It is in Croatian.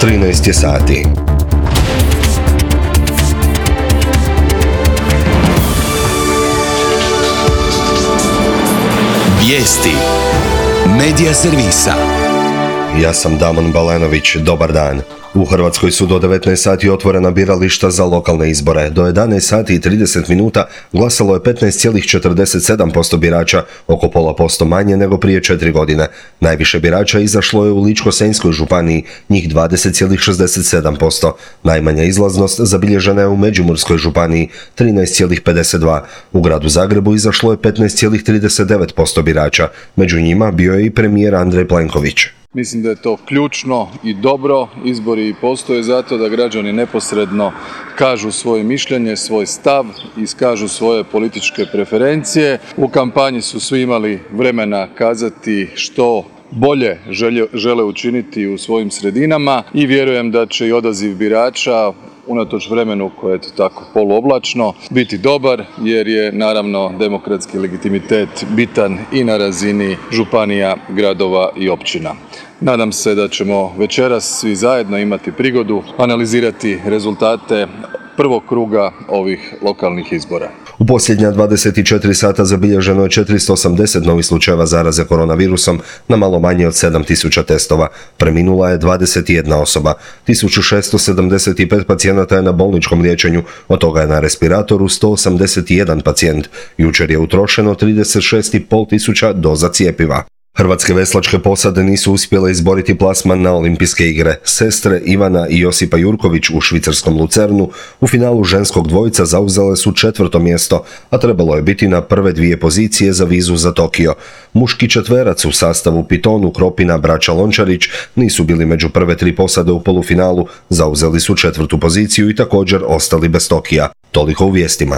13 je sati. Vijesti Medija servisa. Ja sam Damon Balenović, dobar dan. U Hrvatskoj su do 19 sati otvorena birališta za lokalne izbore. Do 11 sati i 30 minuta glasalo je 15,47% birača, oko pola posto manje nego prije 4 godine. Najviše birača izašlo je u Ličko-senjskoj županiji, njih 20,67%. Najmanja izlaznost zabilježena je u Međimurskoj županiji, 13,52%. U gradu Zagrebu izašlo je 15,39% birača. Među njima bio je i premijer Andrej Plenković. Mislim da je to ključno i dobro. Izbori postoje zato da građani neposredno kažu svoje mišljenje, svoj stav, iskažu svoje političke preferencije. U kampanji su svi imali vremena kazati što bolje žele učiniti u svojim sredinama i vjerujem da će i odaziv birača unatoč vremenu koje je tako poluoblačno biti dobar, jer je naravno demokratski legitimitet bitan i na razini županija, gradova i općina. Nadam se da ćemo večeras svi zajedno imati prigodu analizirati rezultate prvog kruga ovih lokalnih izbora. U posljednja 24 sata zabilježeno je 480 novih slučajeva zaraze koronavirusom na malo manje od 7000 testova. Preminula je 21 osoba. 1675 pacijenata je na bolničkom liječenju, od toga je na respiratoru 181 pacijent. Jučer je utrošeno 36,5 tisuća doza cjepiva. Hrvatske veslačke posade nisu uspjele izboriti plasman na olimpijske igre. Sestre Ivana i Josipa Jurković u švicarskom Lucernu u finalu ženskog dvojica zauzele su 4. mjesto, a trebalo je biti na prve 2 pozicije za vizu za Tokio. Muški četverac u sastavu Pitonu, Kropina, braća Lončarić nisu bili među prve 3 posade u polufinalu, zauzeli su 4. poziciju i također ostali bez Tokija. Toliko u vijestima.